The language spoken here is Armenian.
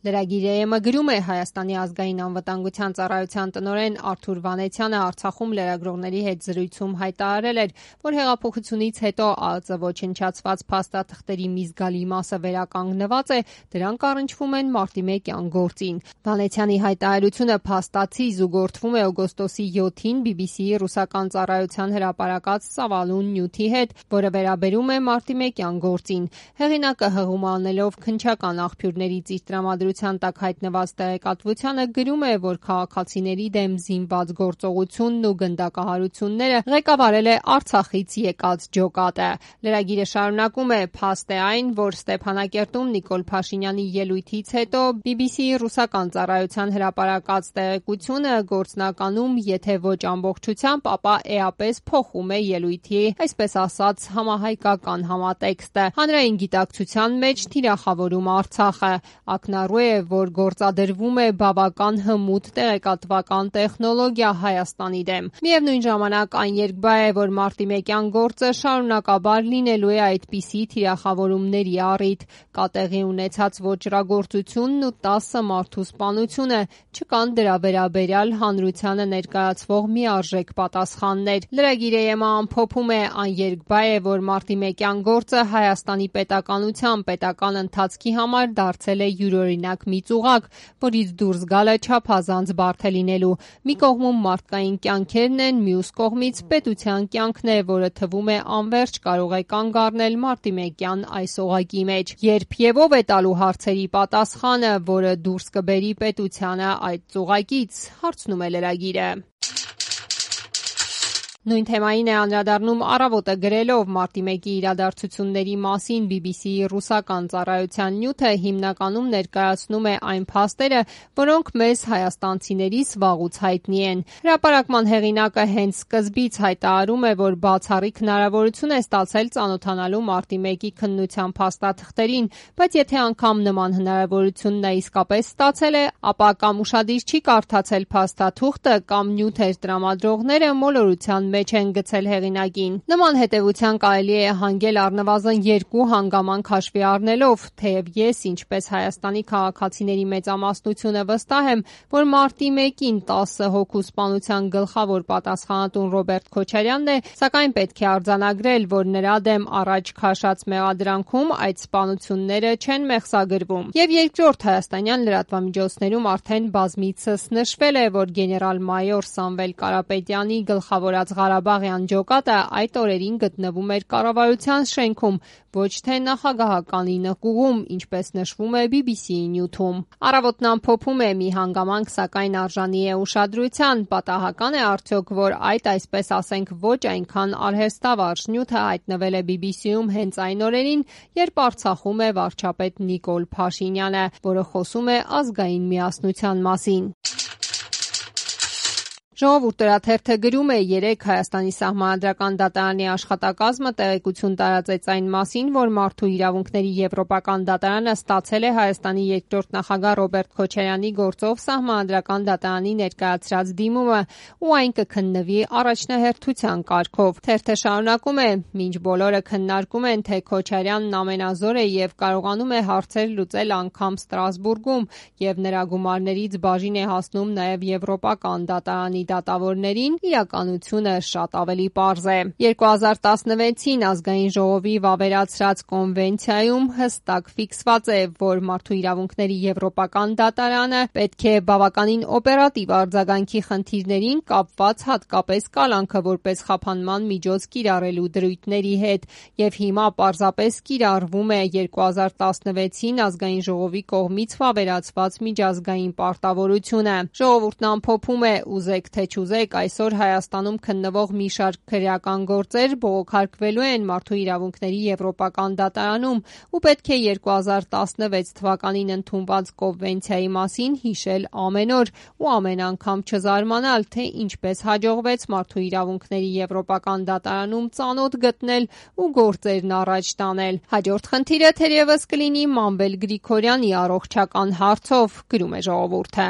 Լրագիր գրում է Հայաստանի ազգային անվտանգության ծառայության տնօրեն Արթուր Վանեցյանը Արցախում լրագրողների հետ զրույցում հայտարարել էր, որ հեղափոխությունից հետո ԱԱԾ ոչնչացված փաստաթղթերի մի զգալի մասը վերականգնված է, դրանք առնչվում են մարտի 1-յան գործին։ Վանեցյանի հայտարարությունը փաստացի զուգորդվում է օգոստոսի 7-ին BBC-ի ռուսական ծառայության հրապարակած ծավալուն նյութի հետ, որը վերաբերում է մարտի 1-յան գործին։ Հեղինակը հղում անելով քննչական աղբյուրներից իր տրամադրության տակ հայտնված տեղեկատվությանը գրում է, որ քաղաքացիների դեմ զինված գործողությունն ու գնդակահարությունները ղեկավարել է Արցախից եկած ջոկատը։ Լրագիրը շարունակում է. փաստ է այն, որ Ստեփանակերտում Նիկոլ Փաշինյանի ելույթից հետո BBC-ի ռուսական ծառայության հրապարակած տեղեկությունը գործնականում, եթե ոչ ամբողջությամբ, ապա էապես փոխում է ելույթի, այսպես ասած, համահայկական համատեքստը։ Հանրային գիտակցության մեջ թիրախավորում Արցախը։ Ակնառու է, որ գործադրվում է բավական հմուտ տեղեկատվական տեխնոլոգիա Հայաստանի դեմ։ Միևնույն ժամանակ այն երկբա է, որ մարտի 1-յան գործը շարունակաբար լինելու է այդպիսի թիրախավորումների առիթ։ Կա տեղի ունեցած ոճրագործությունն ու 10 մարդու սպանությունը, չկան դրա վերաբերյալ հանրությանը ներկայացվող միարժեք պատասխաններ։ Լրագիր ԵՄ ամփոփում է. այն երկբա է, որ մարտի 1-յան գործը Հայաստանի պետականության պետական ընթացքի համար դարձել է յուրօրինակ մի ծուղակ, որից դուրս գալը չափազանց բարդ է լինելու։ Մի կողմում մարդկային կյանքերն են, մյուս կողմից պետության կյանքն է, որը թվում է անվերջ կարող է կանգ առնել մարտի 1-յան այս օղակի մեջ։ Երբ եւ ով է տալու հարցերի պատասխանը, որը դուրս կբերի պետությանը այդ ծուղակից, հարցնում է լրագիրը։ Նույն թեմային է անդրադառնում Առավոտը գրելով մարտի 1-ի իրադարձությունների մասին BBC-ի ռուսական ծառայության նյութը հիմնականում ներկայացնում է այն փաստերը, որոնք մեզ հայաստանցիներիս վաղուց հայտնի են։ Հրապարակման հեղինակը հենց սկզբից հայտարարում է, որ բացառիկ հնարավորություն է ստացել ծանոթանալու մարտի 1-ի քննության փաստաթղթերին, բայց եթե անգամ նման հնարավորություն նա իսկապես ստացել է, ապա կամ ուշադիր չի կարդացել փաստաթուղթը, կամ նյութեր տրամադրողները մոլորության մեջ են գցել հեղինակին։ Նման հետևության կարելի է հանգել առնվազն 2 հանգամանք հաշվի առնելով, թեև ես, ինչպես Հայաստանի քաղաքացիների մեծամասնությունը վստահ եմ, որ մարտի 1-ին 10 հոգու սպանության գլխավոր պատասխանատուն Ռոբերտ Քոչարյանն է, սակայն պետք է արձանագրել, որ նրա դեմ առաջ քաշած մեղադրանքում այդ սպանությունները չեն մեղսագրվում։ Եվ երկրորդ հայաստանյան լրատվամիջոցներում արդեն բազմիցս նշվել է, որ գեներալ-մայոր Սամվել Կարապետյանի գլխավորած Ղարաբաղյան ջոկատը այդ օրերին գտնվում էր կառավարության շենքում, ոչ թե նախագահականի նկուղում, ինչպես նշվում է BBC-ի նյութում։ Առավոտն ամփոփում է. մի հանգամանք, սակայն արժանի է ուշադրության, պատահական է արդյոք, որ այդ, այսպես ասենք, ոչ այնքան արհեստավարժ նյութը հայտնվել է BBC-ում հենց այն օրերին, երբ Արցախում է վարչապետ Նիկոլ Փաշինյանը, որը խոսում է ազգային միասնության մասին։ Ժողովուրդ օրաթերթը գրում է. երեկ Հայաստանի Սահմանադրական դատարանի աշխատակազմը տեղեկություն տարածեց այն մասին, որ Մարդու իրավունքների եվրոպական դատարանը ստացել է Հայաստանի երկրորդ նախագահ Ռոբերտ Քոչարյանի գործով Սահմանադրական դատարանի ներկայացրած դիմումը, ու այն կքննվի առաջնահերթության կարգով։ Թերթը շարունակում է. մինչ բոլորը քննարկում են, թե Քոչարյանն ամենազոր է եւ կարողանում է հարցեր լուծել անգամ Ստրասբուրգում, եւ նրա գումարներից բաժին է հասնում նաեւ եվրոպական դատարանի դատավորներին, իրականությունը շատ ավելի պարզ է։ 2016-ին ազգային ժողովի վավերացրած կոնվենցիայում հստակ ֆիքսված է, որ մարդու իրավունքների եվրոպական դատարանը պետք է բավականին օպերատիվ արձագանքի խնդիրներին կապված հատկապես կալանքը որպես խափանման միջոց կիրառելու դրույթների հետ, եւ հիմա պարզապես կիրառվում է 2016-ին ազգային ժողովի կողմից վավերացված միջազգային պարտավորությունը։ Ժողովուրդն ամփոփում է. ուզեք թե չուզեք, այսօր Հայաստանում քննվող մի շարք քրեական գործեր բողոքարկվելու են Մարդու իրավունքների եվրոպական դատարանում, ու պետք է 2016 թվականին ընդունված կոնվենցիայի մասին հիշել ամեն օր ու ամեն անգամ չզարմանալ, թե ինչպես հաջողվեց Մարդու իրավունքների եվրոպական դատարանում ծանոթ գտնել ու գործերն առաջ տանել։ Հաջորդ խնդիրը թերևս կլինի Մանվել Գրիգորյանի առողջական հարցով, գրում է Ժողովուրդը։